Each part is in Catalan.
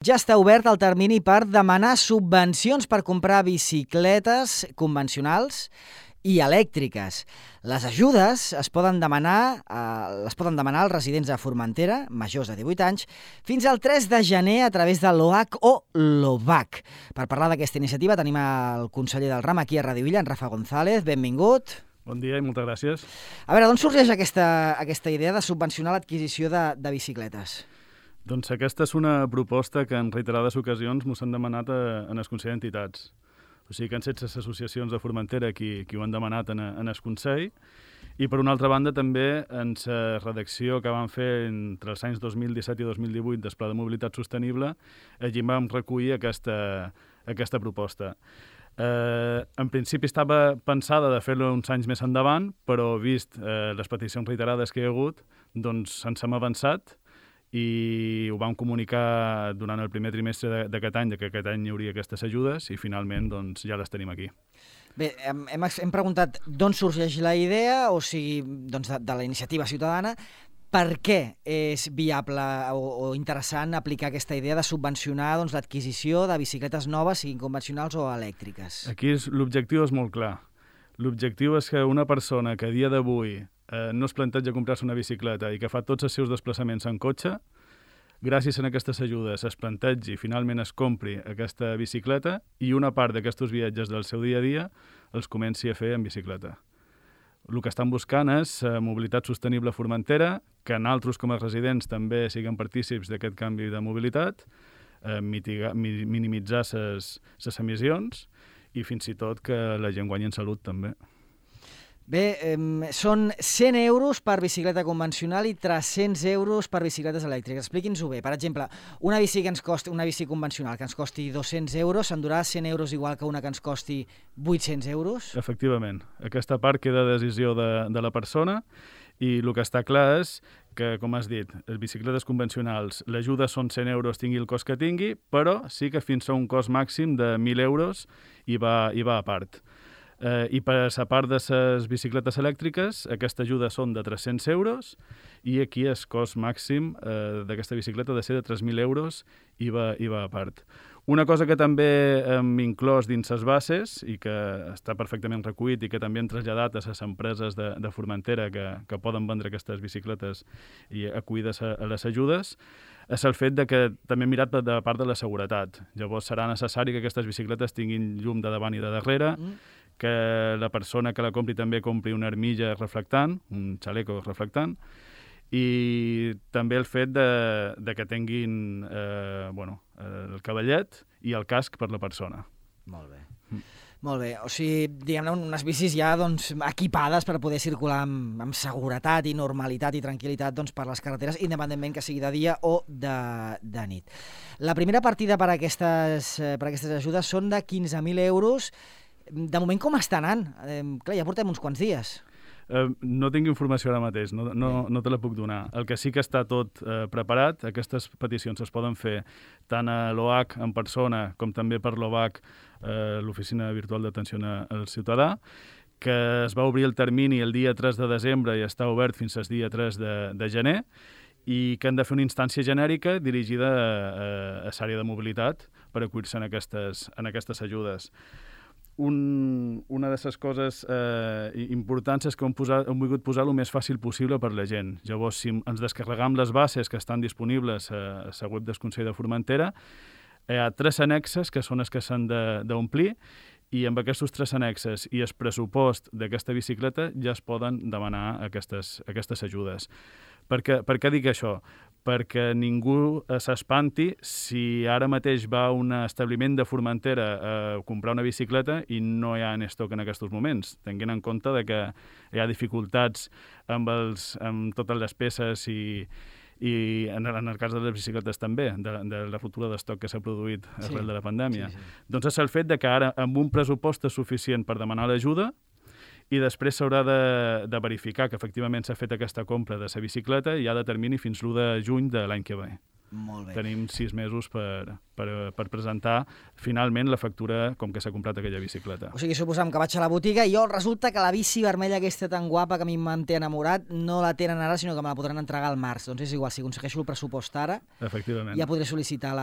Ja està obert el termini per demanar subvencions per comprar bicicletes convencionals i elèctriques. Les ajudes es poden demanar als residents de Formentera, majors de 18 anys, fins al 3 de gener a través de l'OAC o l'OVAC. Per parlar d'aquesta iniciativa tenim el conseller del RAM aquí a Ràdio Illa, en Rafa González. Benvingut. Bon dia i moltes gràcies. A veure, d'on sorgeix aquesta idea de subvencionar l'adquisició de bicicletes? Doncs aquesta és una proposta que en reiterades ocasions mos han demanat en el Consell d'Entitats. O sigui que han set les associacions de Formentera qui ho han demanat en el Consell. I per una altra banda també en la redacció que vam fer entre els anys 2017 i 2018 del Pla de Mobilitat Sostenible, allí vam recollir aquesta proposta. En principi estava pensada de fer-lo uns anys més endavant, però vist les peticions reiterades que hi ha hagut, doncs ens hem avançat i ho vam comunicar durant el primer trimestre d'aquest any, que aquest any hi hauria aquestes ajudes i finalment doncs, ja les tenim aquí. Bé, hem preguntat d'on sorgeix la idea, o sigui, doncs de la iniciativa ciutadana. Per què és viable o interessant aplicar aquesta idea de subvencionar l'adquisició de bicicletes noves, siguin convencionals o elèctriques? Aquí l'objectiu és molt clar. L'objectiu és que una persona que a dia d'avui no es planteja comprar-se una bicicleta i que fa tots els seus desplaçaments en cotxe, gràcies a aquestes ajudes es plantegi i finalment es compri aquesta bicicleta i una part d'aquests viatges del seu dia a dia els comenci a fer en bicicleta. El que estan buscant és mobilitat sostenible a Formentera, que nosaltres com a residents també siguem partícips d'aquest canvi de mobilitat, minimitzar les emissions i fins i tot que la gent guanyi en salut també. Bé, són 100 euros per bicicleta convencional i 300 euros per bicicletes elèctriques. Expliqui'ns-ho bé. Per exemple, una bici convencional que ens costi 200 euros, s'endurà 100 euros igual que una que ens costi 800 euros? Efectivament. Aquesta part queda a decisió de la persona i el que està clar és que, com has dit, les bicicletes convencionals, l'ajuda són 100 euros, tingui el cost que tingui, però sí que fins a un cost màxim de 1.000 euros hi va a part. I per a part de les bicicletes elèctriques, aquesta ajuda són de 300 euros i aquí el cost màxim d'aquesta bicicleta ha de ser de 3.000 euros i va a part. Una cosa que també hem inclòs dins les bases i que està perfectament recollit i que també hem traslladat a les empreses de Formentera que poden vendre aquestes bicicletes i acollides a les ajudes és el fet que també hem mirat de part de la seguretat. Llavors serà necessari que aquestes bicicletes tinguin llum de davant i de darrere, que la persona que la compri també compri una armilla reflectant, un xaleco reflectant, i també el fet de que tinguin el cavallet i el casc per la persona. Molt bé. Molt bé, o sigui, diguem-ne, unes bicis ja equipades per poder circular amb seguretat i normalitat i tranquil·litat per les carreteres, independentment que sigui de dia o de nit. La primera partida per aquestes ajudes són de 15.000 euros. De moment com està anant? Clar, ja portem uns quants dies. No tinc informació ara mateix, no te la puc donar. El que sí que està tot preparat, aquestes peticions es poden fer tant a l'OAC en persona com també per l'OVAC, l'Oficina Virtual d'Atenció al Ciutadà, que es va obrir el termini el dia 3 de desembre i està obert fins al dia 3 de gener, i que han de fer una instància genèrica dirigida a l'àrea de mobilitat per acollir-se en aquestes ajudes. Una de les coses importants és que hem volgut posar el més fàcil possible per la gent. Llavors, si ens descarregam les bases que estan disponibles a la web del Consell de Formentera, hi ha 3 annexes que són els que s'han d'omplir i amb aquests 3 annexes i el pressupost d'aquesta bicicleta ja es poden demanar aquestes ajudes. Per què dic això? Perquè ningú s'espanti si ara mateix va a un establiment de Formentera a comprar una bicicleta i no hi ha en estoc en aquests moments, tenint en compte que hi ha dificultats amb totes les peces i en el cas de les bicicletes també, de la ruptura d'estoc que s'ha produït arrel de la pandèmia. Doncs és el fet que ara amb un pressupost és suficient per demanar l'ajuda i després s'haurà de verificar que efectivament s'ha fet aquesta compra de la bicicleta i ha de termini fins l'1 de juny de l'any que ve. Molt bé. Tenim 6 mesos per presentar finalment la factura com que s'ha comprat aquella bicicleta. O sigui, suposem que vaig a la botiga i resulta que la bici vermella aquesta tan guapa que a mi m'en té enamorat no la tenen ara, sinó que me la podran entregar al març. Doncs és igual, si aconsegueixo el pressupost ara, Efectivament. ja podré sol·licitar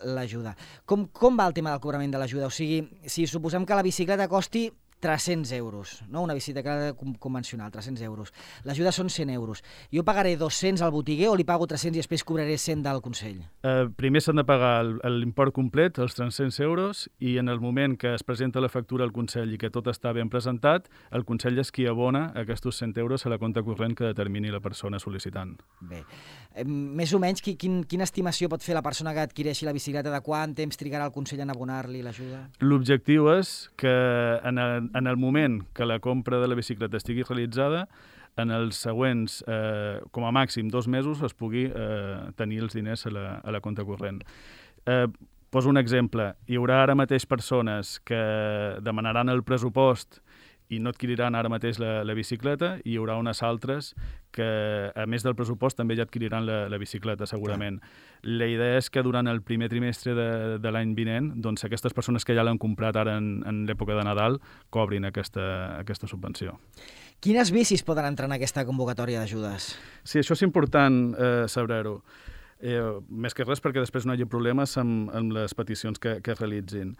l'ajuda. Com va el tema del cobrament de l'ajuda? O sigui, si suposem que la bicicleta costi 300 euros, no? Una bicicleta convencional, 300 euros. L'ajuda són 100 euros. Jo pagaré 200 al botiguer o li pago 300 i després cobraré 100 del Consell? Primer s'han de pagar l'import complet, els 300 euros, i en el moment que es presenta la factura al Consell i que tot està ben presentat, el Consell és qui abona aquests 100 euros a la compta corrent que determini la persona sol·licitant. Bé. Més o menys, quina estimació pot fer la persona que adquireixi la bicicleta? De quant temps trigarà el Consell en abonar-li l'ajuda? L'objectiu és que en el moment que la compra de la bicicleta estigui realitzada, en els següents, com a màxim 2 mesos, es pugui tenir els diners a la compta corrent. Poso un exemple. Hi haurà ara mateix persones que demanaran el pressupost i no adquiriran ara mateix la bicicleta, i hi haurà unes altres que, a més del pressupost, també ja adquiriran la bicicleta, segurament. La idea és que durant el primer trimestre de l'any vinent, doncs aquestes persones que ja l'han comprat ara en l'època de Nadal cobrin aquesta subvenció. Quines bicis poden entrar en aquesta convocatòria d'ajudes? Sí, això és important saber-ho. Més que res perquè després no hi hagi problemes amb les peticions que es realitzin.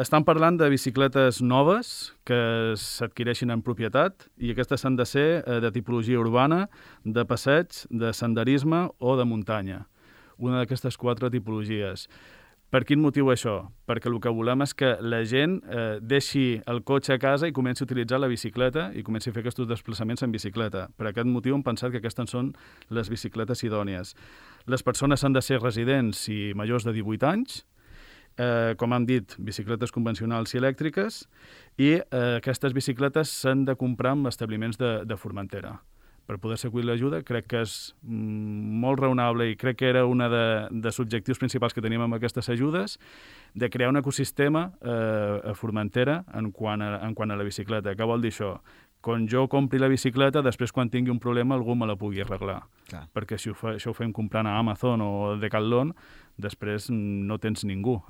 Estan parlant de bicicletes noves que s'adquireixin en propietat, i aquestes han de ser de tipologia urbana, de passeig, de senderisme o de muntanya. Una d'aquestes 4 tipologies. Per quin motiu això? Perquè el que volem és que la gent deixi el cotxe a casa i comenci a utilitzar la bicicleta i comenci a fer aquests desplaçaments en bicicleta. Per aquest motiu hem pensat que aquestes són les bicicletes idònies. Les persones han de ser residents i majors de 18 anys, com hem dit, bicicletes convencionals i elèctriques, i aquestes bicicletes s'han de comprar en establiments de Formentera. Per poder-se acollir l'ajuda, crec que és molt raonable, i crec que era un dels objectius principals que teníem amb aquestes ajudes, de crear un ecosistema a Formentera en quant a la bicicleta. Què vol dir això? Quan jo compri la bicicleta, després quan tingui un problema algú me la pugui arreglar. Clar. Perquè si això ho fem comprant a Amazon o Decathlon, després no tens ningú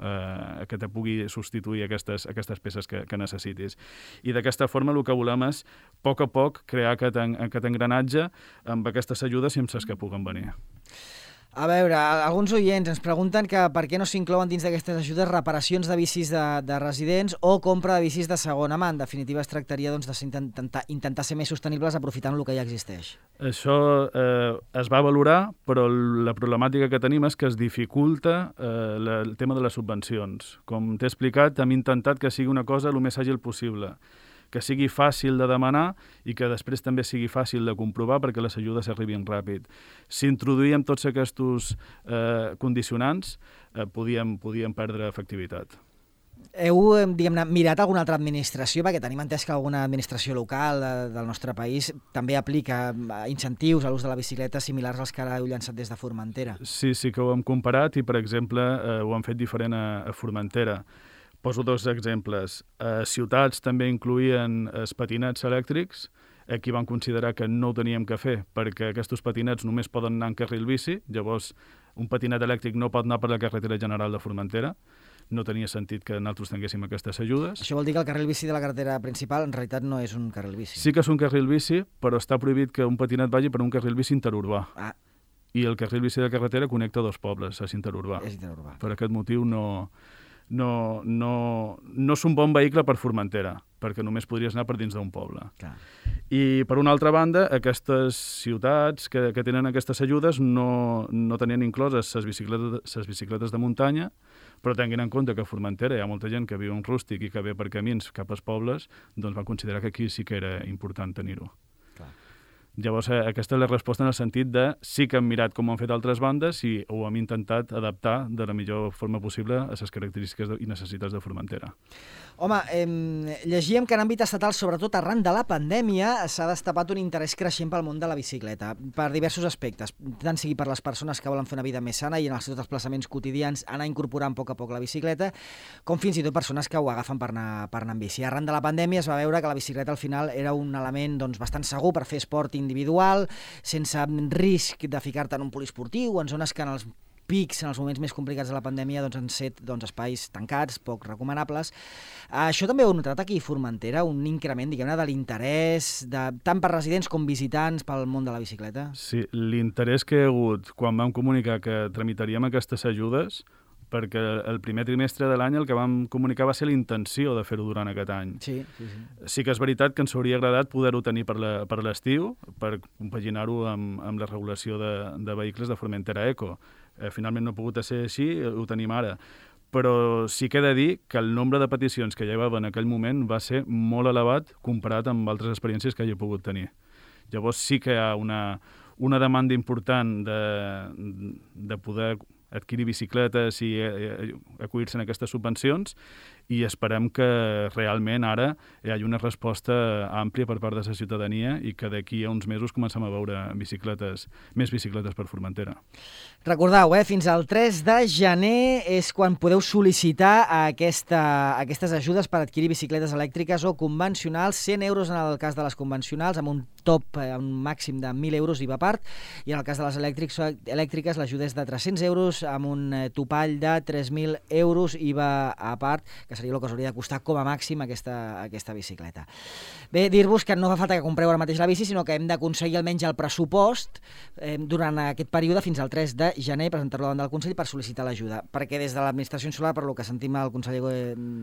que te pugui substituir aquestes peces que necessitis. I d'aquesta forma el que volem és, a poc, crear aquest engranatge amb aquestes ajudes i amb les que puguen venir. A veure, alguns oients ens pregunten que per què no s'inclouen dins d'aquestes ajudes reparacions de bicis de residents o compra de bicis de segona mà. En definitiva, es tractaria d'intentar ser més sostenibles aprofitant el que ja existeix. Això es va valorar, però la problemàtica que tenim és que es dificulta el tema de les subvencions. Com t'he explicat, hem intentat que sigui una cosa el més àgil possible, que sigui fàcil de demanar i que després també sigui fàcil de comprovar perquè les ajudes arribin ràpid. Si introduïm tots aquests condicionants, podíem perdre efectivitat. Heu, diguem-ne, mirat alguna altra administració? Perquè tenim entès que alguna administració local del nostre país també aplica incentius a l'ús de la bicicleta similars als que ara heu llançat des de Formentera. Sí que ho hem comparat i, per exemple, ho hem fet diferent a Formentera. Poso 2 exemples. Ciutats també incloïen els patinets elèctrics. Aquí van considerar que no ho teníem que fer perquè aquests patinets només poden anar en carril bici. Llavors, un patinet elèctric no pot anar per la carretera general de Formentera. No tenia sentit que nosaltres tinguéssim aquestes ajudes. Això vol dir que el carril bici de la carretera principal en realitat no és un carril bici. Sí que és un carril bici, però està prohibit que un patinet vagi per un carril bici interurbà. I el carril bici de carretera connecta 2 pobles, és interurbà. Per aquest motiu no és un bon vehicle per Formentera, perquè només podries anar per dins d'un poble. Clar. I, per una altra banda, aquestes ciutats que tenen aquestes ajudes no tenien incloses les bicicletes de muntanya, però tinguin en compte que a Formentera hi ha molta gent que viu en rústic i que ve per camins cap als pobles, doncs van considerar que aquí sí que era important tenir-ho. Llavors, aquesta és la resposta en el sentit de sí que hem mirat com ho han fet altres bandes i ho hem intentat adaptar de la millor forma possible a les característiques i necessitats de Formentera. Home, llegíem que en àmbit estatal, sobretot arran de la pandèmia, s'ha destapat un interès creixent pel món de la bicicleta, per diversos aspectes, tant sigui per les persones que volen fer una vida més sana i en els seus desplaçaments quotidians anar incorporant a poc la bicicleta, com fins i tot persones que ho agafen per anar en bici. Arran de la pandèmia es va veure que la bicicleta al final era un element bastant segur per fer esport individual, sense risc de ficar-te en un poliesportiu o en zones que en els pics en els moments més complicats de la pandèmia doncs, han set espais tancats, poc recomanables. Això també ho heu notat aquí a Formentera, un increment, diguem-ne, de l'interès tant per residents com visitants pel món de la bicicleta? Sí, l'interès que hi ha hagut quan vam comunicar que tramitaríem aquestes ajudes, perquè el primer trimestre de l'any el que vam comunicar va ser la intenció de fer-ho durant aquest any. Sí. Sí que és veritat que ens hauria agradat poder-ho tenir per l'estiu, per compaginar-ho amb la regulació de vehicles de Formentera Eco. Finalment no ha pogut ser així, ho tenim ara. Però sí que he de dir que el nombre de peticions que hi havia en aquell moment va ser molt elevat comparat amb altres experiències que hi he pogut tenir. Llavors sí que hi ha una demanda important de poder adquirir bicicletes i acollir-se en aquestes subvencions i esperem que realment ara hi hagi una resposta àmplia per part de la ciutadania i que d'aquí a uns mesos comencem a veure més bicicletes per Formentera. Recordeu, fins al 3 de gener és quan podeu sol·licitar aquestes ajudes per adquirir bicicletes elèctriques o convencionals, 100 euros en el cas de les convencionals, amb un top, un màxim de 1.000 euros IVA a part, i en el cas de les elèctriques l'ajuda és de 300 euros amb un topall de 3.000 euros IVA a part, que seria el que us hauria de costar com a màxim aquesta bicicleta. Bé, dir-vos que no fa falta que compreu ara mateix la bici, sinó que hem d'aconseguir almenys el pressupost durant aquest període fins al 3 de gener, presentar-lo davant del Consell per sol·licitar l'ajuda, perquè des de l'administració insular, per lo que sentim el conseller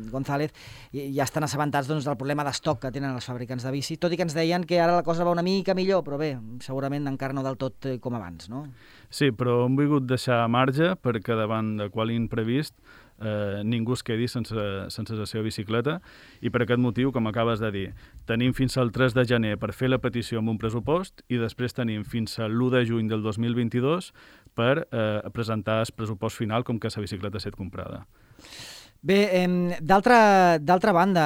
González, ja estan assabentats del problema d'estoc que tenen els fabricants de bici, tot i que ens deien que ara la cosa va una mica millor, però bé, segurament encara no del tot com abans, no? Sí, però hem volgut deixar marge perquè davant de qual imprevist ningú es quedi sense la seva bicicleta i per aquest motiu, com acabes de dir, tenim fins al 3 de gener per fer la petició amb un pressupost i després tenim fins a l'1 de juny del 2022 per presentar el pressupost final com que la bicicleta ha estat comprada. Bé, d'altra banda,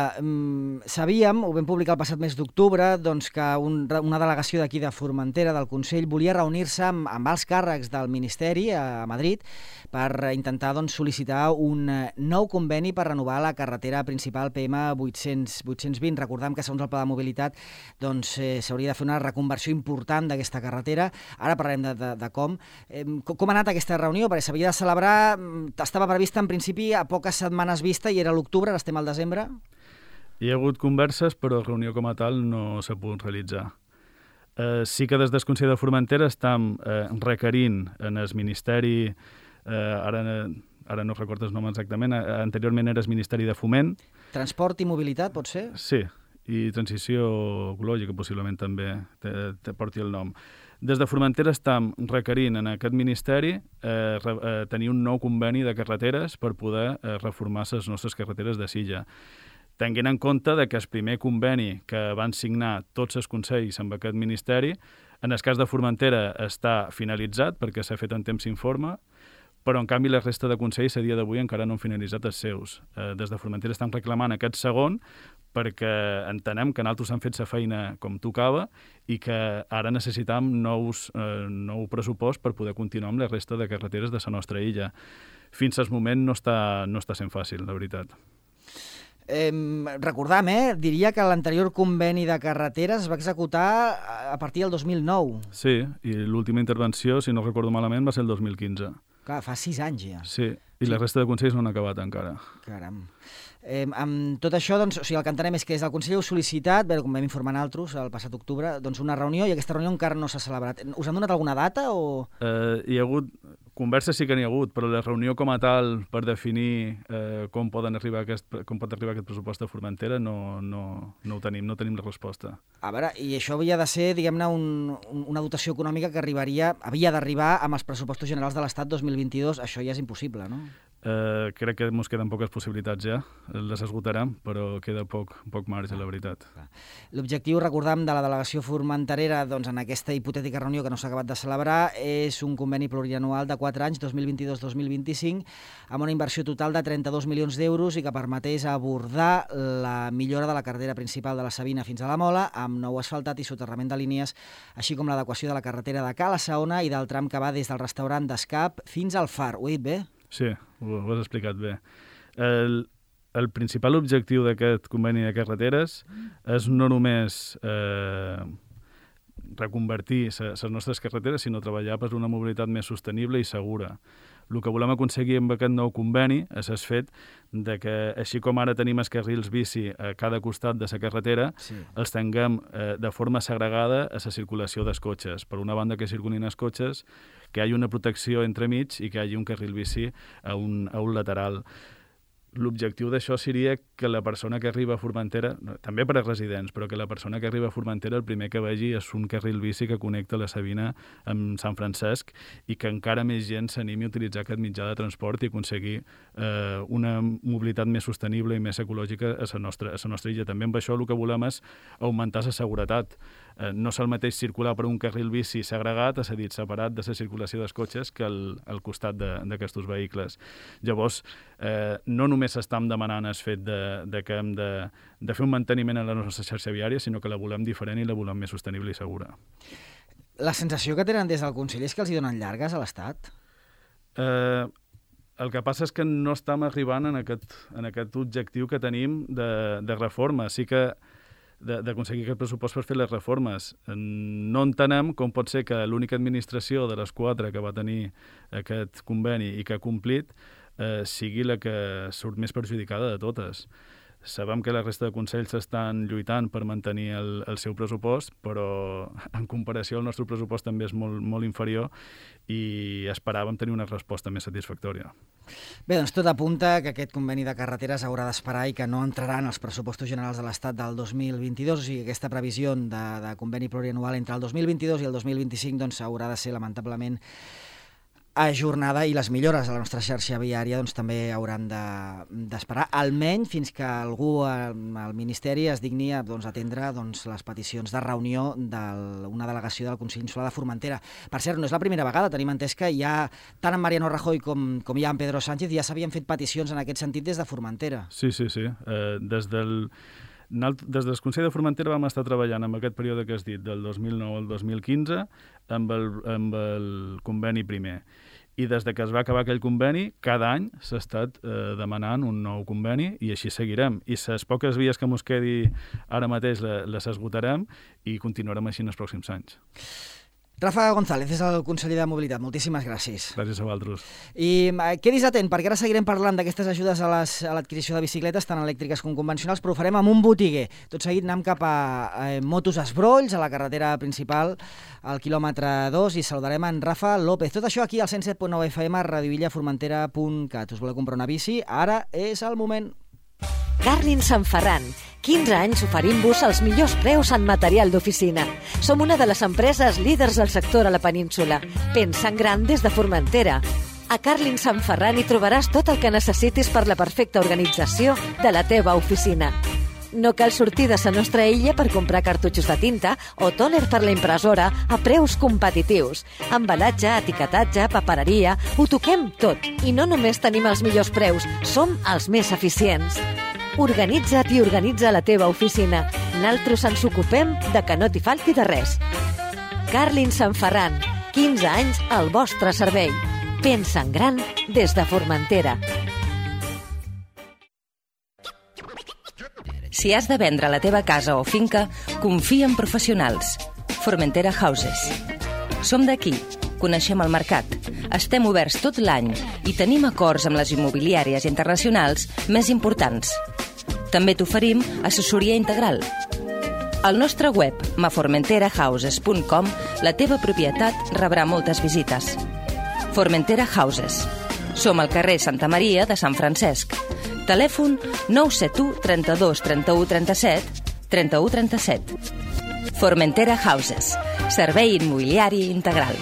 sabíem, ho vam publicar el passat mes d'octubre, doncs que una delegació d'aquí de Formentera, del Consell, volia reunir-se amb els càrrecs del Ministeri a Madrid per intentar sol·licitar un nou conveni per renovar la carretera principal PM 820. Recordem que segons el Pla de Mobilitat s'hauria de fer una reconversió important d'aquesta carretera. Ara parlarem de com. Com ha anat aquesta reunió? Perquè s'havia de celebrar, estava prevista en principi a poques setmanes vista i era l'octubre, ara estem al desembre. Hi ha hagut converses, però reunió com a tal no s'ha pogut realitzar. Sí que des del Consell de Formentera estem requerint en el Ministeri, ara no recordo el nom exactament, anteriorment era el Ministeri de Foment. Transport i mobilitat, pot ser? Sí, i transició ecològica possiblement també te porti el nom. Des de Formentera estem requerint en aquest Ministeri tenir un nou conveni de carreteres per poder reformar les nostres carreteres de Silla. Tenint en compte que el primer conveni que van signar tots els consells amb aquest Ministeri, en el cas de Formentera està finalitzat perquè s'ha fet en temps informe, però en canvi la resta de consells a dia d'avui encara no han finalitzat els seus. Des de Formentera estan reclamant aquest segon perquè entenem que nosaltres han fet la feina com tocava i que ara necessitam nou pressupost per poder continuar amb la resta de carreteres de la nostra illa. Fins al moment no està sent fàcil, la veritat. Recordam, diria que l'anterior conveni de carreteres es va executar a partir del 2009. Sí, i l'última intervenció, si no recordo malament, va ser el 2015. Clar, fa 6 anys ja. Sí, i la resta de consells no han acabat encara. Caram. Amb tot això, el que entenem és que des del Consell heu sol·licitat, com vam informar nosaltres el passat octubre, una reunió i aquesta reunió encara no s'ha celebrat. Us han donat alguna data o...? Hi ha hagut converses, sí que n'hi ha hagut, però la reunió com a tal per definir com pot arribar aquest pressupost de Formentera no ho tenim, no tenim la resposta. A veure, i això havia de ser, diguem-ne, una dotació econòmica que havia d'arribar amb els pressupostos generals de l'Estat 2022. Això ja és impossible, no? Crec que ens queden poques possibilitats ja, les esgotarem, però queda poc marge, la veritat. L'objectiu, recordam, de la delegació formenterera en aquesta hipotètica reunió que no s'ha acabat de celebrar és un conveni plurianual de 4 anys, 2022-2025, amb una inversió total de 32 milions d'euros i que permetés abordar la millora de la carretera principal de la Sabina fins a la Mola, amb nou asfaltat i soterrament de línies, així com l'adequació de la carretera de Cala Saona i del tram que va des del restaurant d'Escap fins al Far. Ho he dit bé? Sí, ho has explicat bé. El principal objectiu d'aquest conveni de carreteres és no només reconvertir les nostres carreteres, sinó treballar per una mobilitat més sostenible i segura. El que volem aconseguir amb aquest nou conveni és el fet de que, així com ara tenim els carrils bici a cada costat de la carretera, els tinguem de forma segregada a la circulació dels cotxes. Per una banda, que circulin els cotxes, que hi hagi una protecció entremig i que hi hagi un carril bici a un lateral. L'objectiu d'això seria que la persona que arriba a Formentera, també per a residents, però que la persona que arriba a Formentera el primer que vegi és un carril bici que connecta la Sabina amb Sant Francesc i que encara més gent s'animi a utilitzar aquest mitjà de transport i aconseguir una mobilitat més sostenible i més ecològica a la nostra illa. També amb això el que volem és augmentar la seguretat. No és el mateix circular per un carril bici segregat, és a dir, separat de la circulació dels cotxes, que al costat d'aquests vehicles. Llavors, no només estem demanant el fet que hem de fer un manteniment a la nostra xarxa viària, sinó que la volem diferent i la volem més sostenible i segura. La sensació que tenen des del Consell és que els hi donen llargues a l'Estat? El que passa és que no estem arribant en aquest objectiu que tenim de reforma. Sí que d'aconseguir aquest pressupost per fer les reformes. No entenem com pot ser que l'única administració de les 4 que va tenir aquest conveni i que ha complit sigui la que surt més perjudicada de totes. Sabem que la resta de consells estan lluitant per mantenir el seu pressupost, però en comparació el nostre pressupost també és molt, molt inferior i esperàvem tenir una resposta més satisfactòria. Bé, doncs tot apunta que aquest conveni de carreteres haurà d'esperar i que no entrarà en els pressupostos generals de l'Estat del 2022, o sigui que aquesta previsió de conveni plurianual entre el 2022 i el 2025 doncs haurà de ser lamentablement ajornada i les millores a la nostra xarxa viària doncs, també hauran d'esperar, almenys fins que algú al Ministeri es digni a atendre les peticions de reunió d'una delegació del Consell Insular de Formentera. Per cert, no és la primera vegada, tenim entès que ja, tant en Mariano Rajoy com ja en Pedro Sánchez, ja s'havien fet peticions en aquest sentit des de Formentera. Sí. Des del Consell de Formentera vam estar treballant en aquest període que has dit, del 2009 al 2015, amb el conveni primer. I des que es va acabar aquell conveni, cada any s'ha estat demanant un nou conveni i així seguirem. I les poques vies que mos quedi ara mateix les esgotarem i continuarem així en els pròxims anys. Rafa González és el conseller de Mobilitat. Moltíssimes gràcies. Gràcies a vosaltres. I quedis atent, perquè ara seguirem parlant d'aquestes ajudes a l'adquisició de bicicletes, tant elèctriques com convencionals, però ho farem amb un botiguer. Tot seguit anem cap a Motos Esbrolls, a la carretera principal, al quilòmetre 2, i saludarem en Rafa López. Tot això aquí al 107.9 FM, radioillaformentera.cat. Us voleu comprar una bici? Ara és el moment. Carlin Sant Ferran. 15 anys oferint-vos els millors preus en material d'oficina. Som una de les empreses líders del sector a la península. Pensa en gran des de Formentera. A Carlin Sant Ferran hi trobaràs tot el que necessitis per la perfecta organització de la teva oficina. No cal sortir de la nostra illa per comprar cartutxos de tinta o tòner per la impressora a preus competitius. Embalatge, etiquetatge, papereria, ho toquem tot. I no només tenim els millors preus, som els més eficients. Organitza't i organitza la teva oficina. Naltros ens ocupem de que no t'hi falti de res. Carlin Sant Ferran, 15 anys al vostre servei. Pensa en gran des de Formentera. Si has de vendre la teva casa o finca, confia en professionals. Formentera Houses. Som d'aquí, coneixem el mercat, estem oberts tot l'any i tenim acords amb les immobiliàries internacionals més importants. També t'oferim assessoria integral. Al nostre web, maformenterahouses.com, la teva propietat rebrà moltes visites. Formentera Houses. Som al carrer Santa Maria de Sant Francesc. Telèfon 971 32 31 37 31 37. Formentera Houses. Servei immobiliari integral.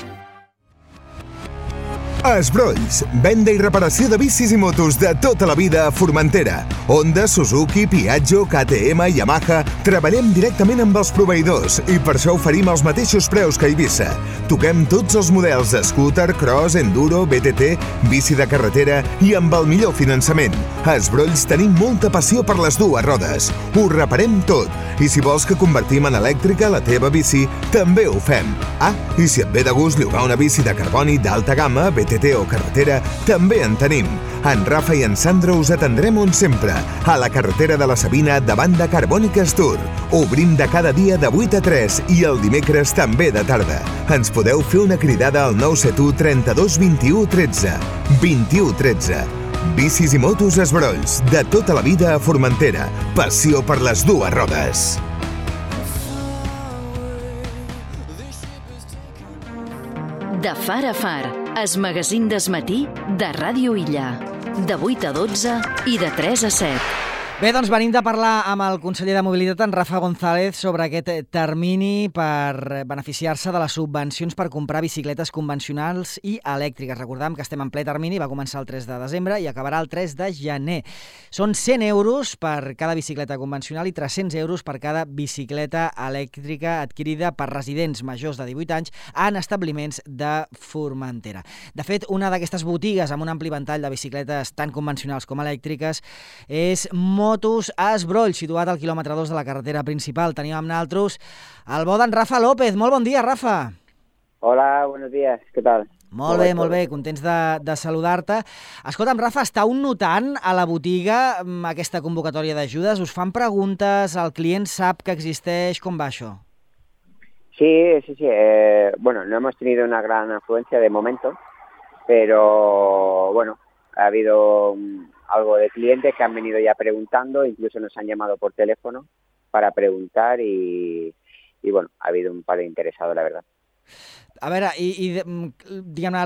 Esbrolls, venda i reparació de bicis i motos de tota la vida a Formentera. Honda, Suzuki, Piaggio, KTM, Yamaha... Treballem directament amb els proveïdors i per això oferim els mateixos preus que a Eivissa. Toquem tots els models de scooter, cross, enduro, BTT, bici de carretera i amb el millor finançament. A Esbrolls tenim molta passió per les dues rodes. Ho reparem tot. I si vols que convertim en elèctrica la teva bici, també ho fem. Ah, i si et ve de gust llogar una bici de carboni d'alta gamma, BTT o carretera, també en tenim. En Rafa i en Sandro us atendrem on sempre, a la carretera de la Sabina davant de Carbòniques Tour. Obrim de cada dia de 8 a 3 i el dimecres també de tarda. Ens podeu fer una cridada al 971 32 21 13. 21 13. Bicis i motos Esbrolls, de tota la vida a Formentera. Passió per les dues rodes. De far a far, es magazín d'esmatí de Ràdio Illa. De 8 a 12 i de 3 a 7. Bé, doncs venim de parlar amb el conseller de Mobilitat, en Rafa González, sobre aquest termini per beneficiar-se de les subvencions per comprar bicicletes convencionals i elèctriques. Recordem que estem en ple termini, va començar el 3 de desembre i acabarà el 3 de gener. Són 100 euros per cada bicicleta convencional i 300 euros per cada bicicleta elèctrica adquirida per residents majors de 18 anys en establiments de Formentera. De fet, una d'aquestes botigues amb un ampli ventall de bicicletes tant convencionals com elèctriques és Motos Esbroll, situat al quilòmetre 2 de la carretera principal. Tenim amb nosaltres el bo d'en Rafa López. Molt bon dia, Rafa. Hola, buenos días. ¿Qué tal? Molt bé, contents de saludar-te. Escolta'm, Rafa, estàu notant a la botiga aquesta convocatòria d'ajudes? Us fan preguntes? El client sap que existeix? Com va això? Sí. Bueno, no hemos tenido una gran afluencia de momento, pero bueno, ha habido algo de clientes que han venido ya preguntando, incluso nos han llamado por teléfono para preguntar y bueno, ha habido un par de interesados, la verdad. A veure, diguem-ne,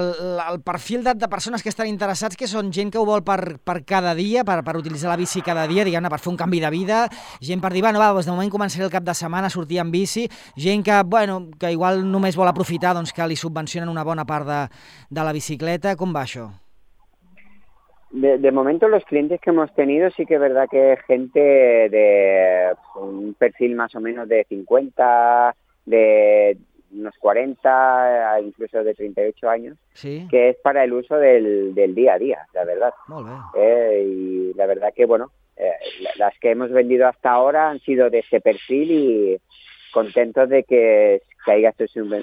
el perfil de persones que estan interessats, que són gent que ho vol per cada dia, per utilitzar la bici cada dia, diguem-ne, per fer un canvi de vida, gent per dir, bueno, doncs de moment començaré el cap de setmana a sortir amb bici, gent que igual només vol aprofitar, doncs que li subvencionen una bona part de la bicicleta. Com va això? De momento los clientes que hemos tenido sí que es verdad que gente de un perfil más o menos de 50, de unos 40, incluso de 38 años, ¿sí? Que es para el uso del día a día, la verdad. Muy bien. Y la verdad que, bueno, las que hemos vendido hasta ahora han sido de ese perfil y contentos de que haya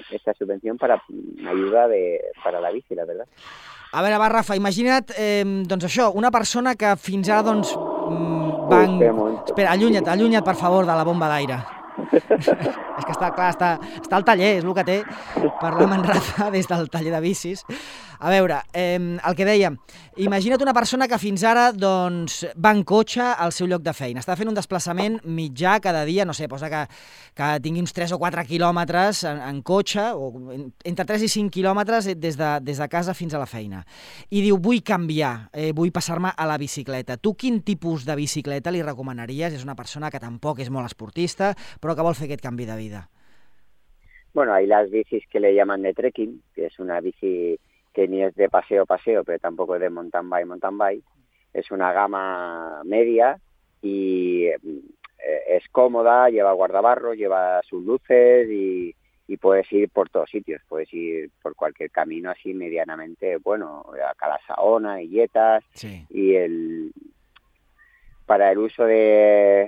esta subvención para ayuda para la bici, la verdad. A veure, va, Rafa, imagina't, doncs això, una persona que fins ara, doncs, Espera, allunya't, per favor, de la bomba d'aire. És que està al taller, és el que té, parlar amb en Rafa des del taller de bicis. A veure, el que dèiem, imagina't una persona que fins ara doncs, va en cotxe al seu lloc de feina, està fent un desplaçament mitjà cada dia, no sé, posa que tingui uns 3 o 4 quilòmetres en cotxe, o entre 3 i 5 quilòmetres des de casa fins a la feina, i diu, vull canviar, vull passar-me a la bicicleta. Tu quin tipus de bicicleta li recomanaries? És una persona que tampoc és molt esportista, però que vol fer aquest canvi de vida. Bueno, hay las bicis que le llaman de trekking, que es una bici que ni es de paseo, pero tampoco es de mountain bike. Es una gama media y es cómoda, lleva guardabarros, lleva sus luces y puedes ir por todos sitios. Puedes ir por cualquier camino así medianamente, bueno, a Calasaona, Illetas, sí. Y para el uso que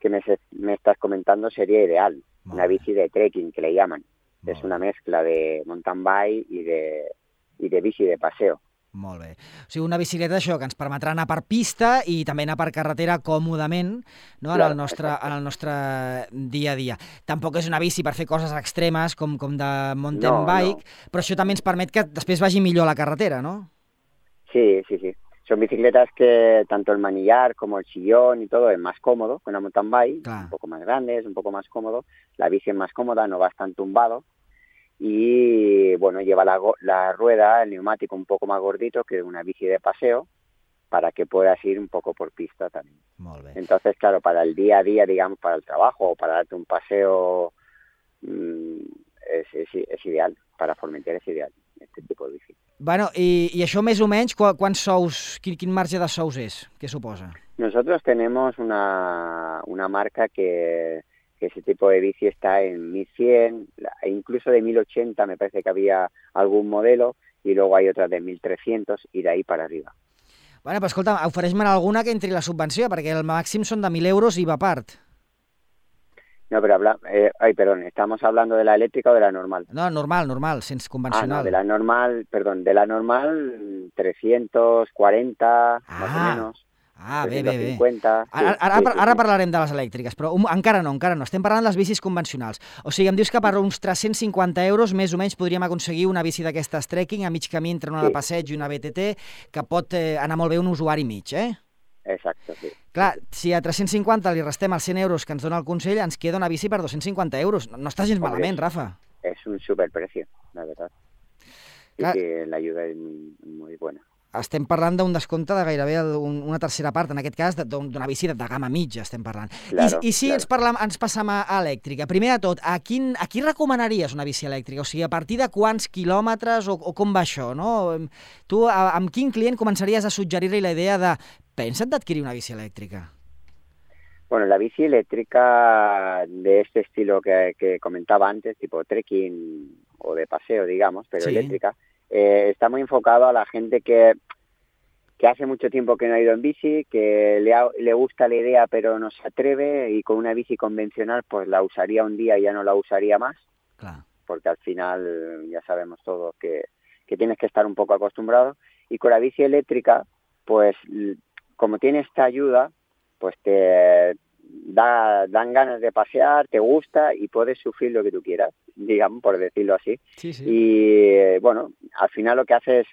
me estás comentando sería ideal. Una bici de trekking que le llaman. Es una mezcla de mountain bike i de bici de paseo. Molt bé. O sigui, una bicicleta, això, que ens permetrà anar per pista i també anar per carretera còmodament, no? en el nostre dia a dia. Tampoc és una bici per fer coses extremes com de mountain bike, però això també ens permet que després vagi millor a la carretera, no? Sí. Son bicicletas que tanto el manillar como el sillón y todo es más cómodo que una mountain bike, un poco más grande, es un poco más cómodo. La bici es más cómoda, no vas tan tumbado. Y bueno, lleva la rueda, el neumático un poco más gordito que una bici de paseo para que puedas ir un poco por pista también. Molt bé. Entonces, claro, para el día a día, digamos, para el trabajo o para darte un paseo, es ideal. Para Formentera es ideal este tipo de bici. Bueno, i això més o menys, quants sous, quin marge de sous és? Què suposa? Nosotros tenemos una marca que ese tipo de bici está en 1.100, incluso de 1.080 me parece que había algún modelo, y luego hay otras de 1.300 y de ahí para arriba. Bueno, però escolta, ofereix-me'n alguna que entri la subvenció, perquè el màxim són de 1.000 euros i va a part. No, pero perdón, ¿estamos hablando de la eléctrica o de la normal? No, normal, sense convencional. No, de la normal 340, más o menos. Bé. 350. Ara parlarem de les elèctriques, però encara no. Estem parlant de les bicis convencionals. O sigui, em dius que per uns 350 euros més o menys podríem aconseguir una bici d'aquestes trekking a mig camí entre una de passeig i una BTT, que pot anar molt bé un usuari mig, eh? Exacte, sí. Clar, si a 350 li restem els 100 euros que ens dona el Consell, ens queda una bici per 250 euros. No està gens malament, Rafa. Es un superprecio, la verdad. Y que la ayuda es muy buena. Estem parlant d'un descompte de gairebé una tercera part, en aquest cas d'una bici de gamma mitja estem parlant. Claro, I si ens passam a elèctrica, primer de tot, a qui recomanaries una bici elèctrica? O sigui, a partir de quants quilòmetres o com va això, no? Tu amb quin client començaries a suggerir-li la idea de pensa't d'adquirir una bici elèctrica? Bueno, la bici eléctrica de este estilo que comentaba antes, tipo trekking o de paseo, digamos, pero eléctrica, está muy enfocado a la gente que hace mucho tiempo que no ha ido en bici, que le gusta la idea pero no se atreve, y con una bici convencional pues la usaría un día y ya no la usaría más, claro, porque al final ya sabemos todos que tienes que estar un poco acostumbrado, y con la bici eléctrica pues como tiene esta ayuda pues te dan ganas de pasear, te gusta y puedes sufrir lo que tú quieras, digamos, por decirlo así. Sí. Y bueno, al final lo que hace es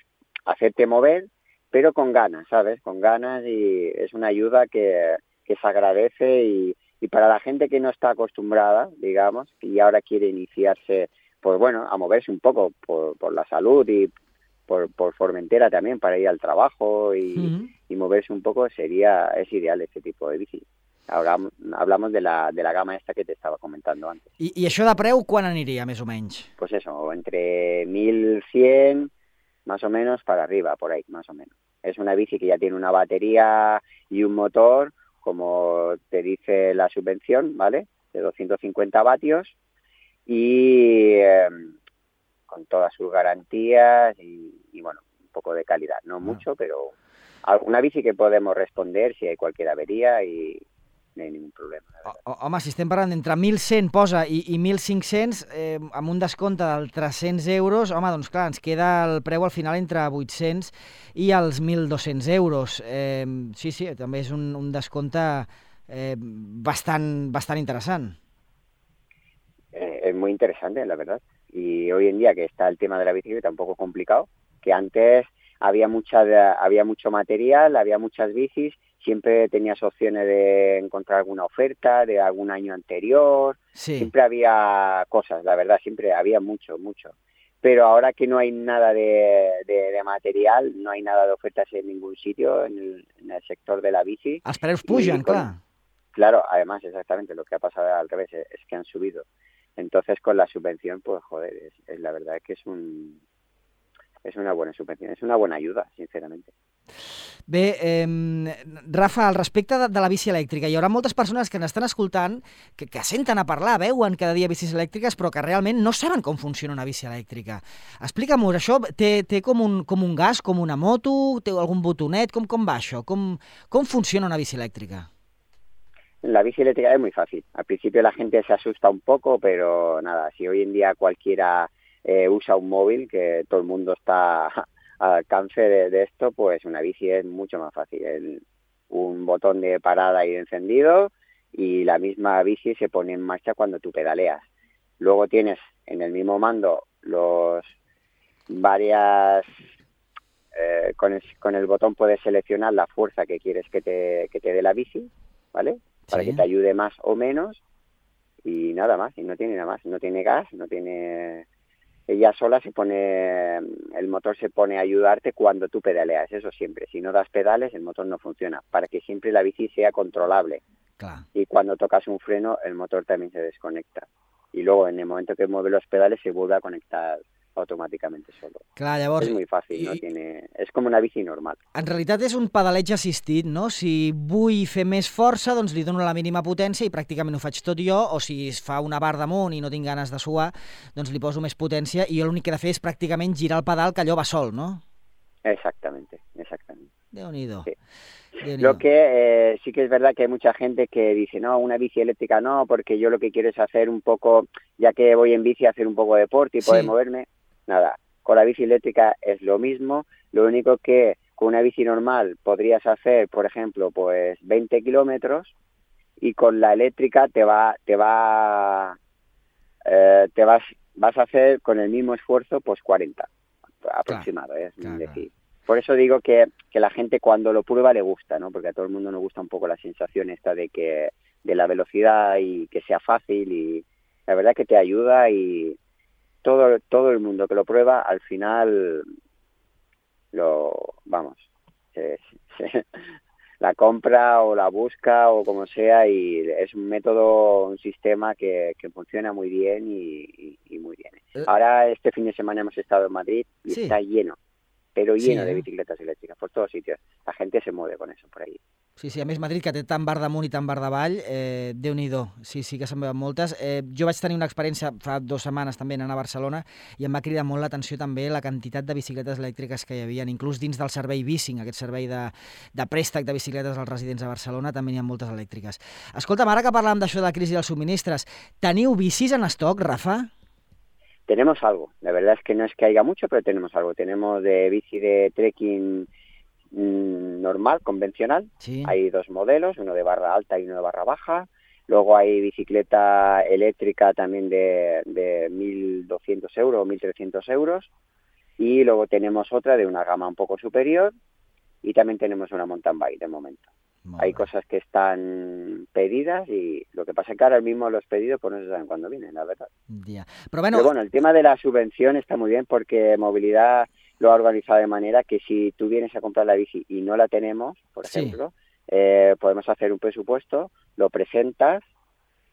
hacerte mover, pero con ganas, ¿sabes? Con ganas, y es una ayuda que se agradece, y para la gente que no está acostumbrada, digamos, y ahora quiere iniciarse, pues bueno, a moverse un poco por la salud y por Formentera también, para ir al trabajo y moverse un poco, es ideal este tipo de bici. Ahora hablamos de la gama esta que te estaba comentando antes. I això de preu quan aniria, més o menys? Pues eso, entre 1.100 más o menos para arriba, por ahí, más o menos. Es una bici que ya tiene una batería y un motor, como te dice la subvención, ¿vale? De 250 vatios, y con todas sus garantías y bueno, un poco de calidad, no mucho, pero una bici que podemos responder si hay cualquier avería y no hay ningún problema. Home, si estem parlant d'entre 1.100 posa i 1.500, amb un descompte del 300 euros, home, doncs clar, ens queda el preu al final entre 800 i els 1.200 euros. Sí, també és un descompte bastant interessant. Es muy interesante, la verdad. Y hoy en día que está el tema de la bicicleta un poco complicado, que antes había mucho material, había muchas bicis, siempre tenías opciones de encontrar alguna oferta de algún año anterior, siempre había cosas, la verdad, siempre había mucho. Pero ahora que no hay nada de material, no hay nada de ofertas en ningún sitio en el sector de la bici. Els preus pugen, clar. Claro, además, exactamente, lo que ha pasado al revés es que han subido. Entonces, con la subvención, pues joder, es la verdad que es una buena subvención, es una buena ayuda, sinceramente. Bé, Rafa, al respecte de la bici elèctrica, hi haurà moltes persones que n'estan escoltant, que senten a parlar, veuen cada dia bicis elèctriques, però que realment no saben com funciona una bici elèctrica. Explica'm-ho, això té com un gas, com una moto, té algun botonet, com va això? Com funciona una bici elèctrica? La bici eléctrica es muy fácil. Al principio la gente se asusta un poco, pero nada, si hoy en día cualquiera usa un móvil, que todo el mundo está al alcance de esto, pues una bici es mucho más fácil. Un botón de parada y de encendido, y la misma bici se pone en marcha cuando tú pedaleas. Luego tienes en el mismo mando con el botón puedes seleccionar la fuerza que quieres que te dé la bici, ¿vale? Para que te ayude más o menos, y nada más, y no tiene nada más, no tiene gas, ella sola el motor se pone a ayudarte cuando tú pedaleas, eso siempre. Si no das pedales, el motor no funciona, para que siempre la bici sea controlable. Clar. Y cuando tocas un freno, el motor también se desconecta. Y luego, en el momento que mueve los pedales, se vuelve a conectar automàticament solo. Clar, llavors... És molt fàcil, és com una bici normal. En realitat és un pedaleig assistit, no? Si vull fer més força, doncs li dono la mínima potència i pràcticament ho faig tot jo, o si es fa una barra damunt i no tinc ganes de suar, doncs li poso més potència i jo l'únic que he de fer és pràcticament girar el pedal, que allò va sol, no? Exactament. Déu-n'hi-do. Sí. Lo que sí que es verdad que hay mucha gente que dice, no, una bici eléctrica no, porque yo lo que quiero es hacer un poco, ya que voy en bici, hacer un poco de deporte y poder moverme. Nada, con la bici eléctrica es lo mismo, lo único que con una bici normal podrías hacer, por ejemplo, pues 20 kilómetros, y con la eléctrica vas a hacer con el mismo esfuerzo pues 40 aproximado, es decir. Por eso digo que la gente cuando lo prueba le gusta, ¿no? Porque a todo el mundo nos gusta un poco la sensación esta de la velocidad y que sea fácil, y la verdad que te ayuda, y todo el mundo que lo prueba al final la compra o la busca o como sea, y es un método, un sistema que funciona muy bien y muy bien. Ahora este fin de semana hemos estado en Madrid y está lleno, pero lleno de bicicletas eléctriques por todos sitios. La gente se mueve con eso por ahí. Sí, a més Madrid, que té tant bar damunt i tant bar davall, Déu-n'hi-do, sí que se'n veuen moltes. Jo vaig tenir una experiència fa 2 setmanes també anant a Barcelona i em va cridar molt l'atenció també la quantitat de bicicletes elèctriques que hi havia, inclús dins del servei Bicing, aquest servei de préstec de bicicletes als residents de Barcelona, també n'hi ha moltes elèctriques. Escolta'm, ara que parlàvem d'això de la crisi dels subministres, teniu bicis en estoc, Rafa? Tenemos algo, la verdad es que no es que haya mucho, pero tenemos algo. Tenemos de bici de trekking normal, convencional. Sí. Hay 2 modelos, uno de barra alta y uno de barra baja. Luego hay bicicleta eléctrica también de 1.200 euros o 1.300 euros. Y luego tenemos otra de una gama un poco superior, y también tenemos una mountain bike de momento. Hay cosas que están pedidas, y lo que pasa es que ahora mismo los pedidos pues no se saben cuándo vienen, la verdad. Pero bueno, el tema de la subvención está muy bien, porque Movilidad lo ha organizado de manera que si tú vienes a comprar la bici y no la tenemos, por ejemplo, podemos hacer un presupuesto, lo presentas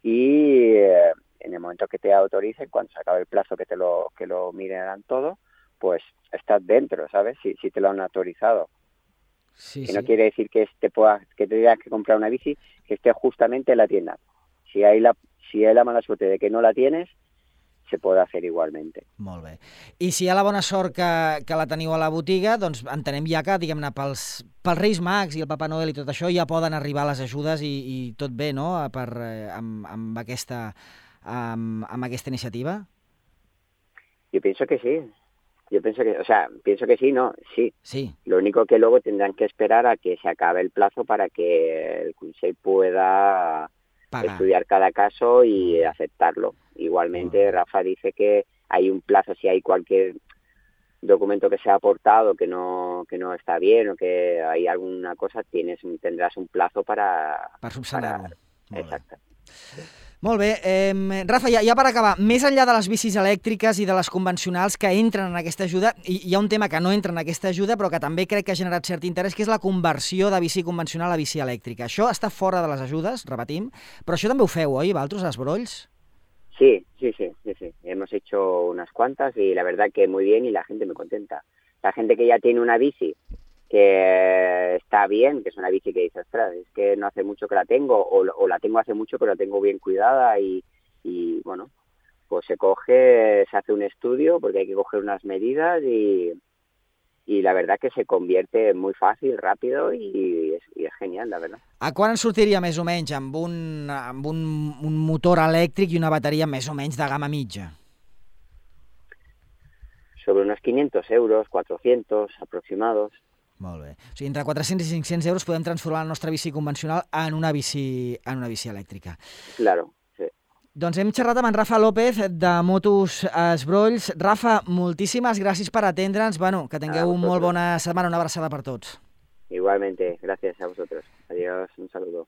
y en el momento que te autoricen, cuando se acabe el plazo que lo miren todo, pues estás dentro, ¿sabes? Si te lo han autorizado. Que no quiere decir que te tengas que comprar una bici que esté justamente en la tienda. Si hay la mala suerte de que no la tienes, se pot fer igualment. Molt bé. I si hi ha la bona sort que la teniu a la botiga, doncs entenem ja que, diguem-ne, pels Reis Mags i el Papa Noel i tot això ja poden arribar les ajudes i tot bé, no?, amb aquesta iniciativa? Yo pienso que sí. Pienso que sí, no, sí. Lo único que luego tendrán que esperar a que se acabe el plazo para que el Consell pueda estudiar cada caso y aceptarlo. Igualmente, Rafa dice que hay un plazo, si hay cualquier documento que se ha aportado que no está bien o que hay alguna cosa, tendrás un plazo para subsanar-ho. Exacte. Molt bé. Rafa, ja per acabar, més enllà de les bicis elèctriques i de les convencionals que entren en aquesta ajuda, hi ha un tema que no entra en aquesta ajuda però que també crec que ha generat cert interès, que és la conversió de bici convencional a bici elèctrica. Això està fora de les ajudes, repetim, però això també ho feu, oi, vosaltres, als Brolls? Sí. Hemos hecho unas cuantas y la verdad que muy bien, y la gente muy contenta. La gente que ya tiene una bici que está bien, que es una bici que dice, ostras, es que no hace mucho que la tengo, o la tengo hace mucho pero la tengo bien cuidada, y bueno, pues se hace un estudio, porque hay que coger unas medidas, y la verdad que se convierte muy fácil, rápido, y es genial, la verdad. A quan ens sortiria més o menys amb un motor elèctric i una bateria més o menys de gamma mitja? Sobre unos 500 euros, 400 aproximados. Molt bé. O sigui, entre 400 i 500 euros podem transformar la nostra bici convencional en una bici elèctrica. Claro, sí. Doncs hem xerrat amb en Rafa López de Motos Esbrolls. Rafa, moltíssimes gràcies per atendre'ns. Bueno, que tingueu molt bona setmana, una abraçada per tots. Igualmente, gracias a vosotros. Adiós, un saludo.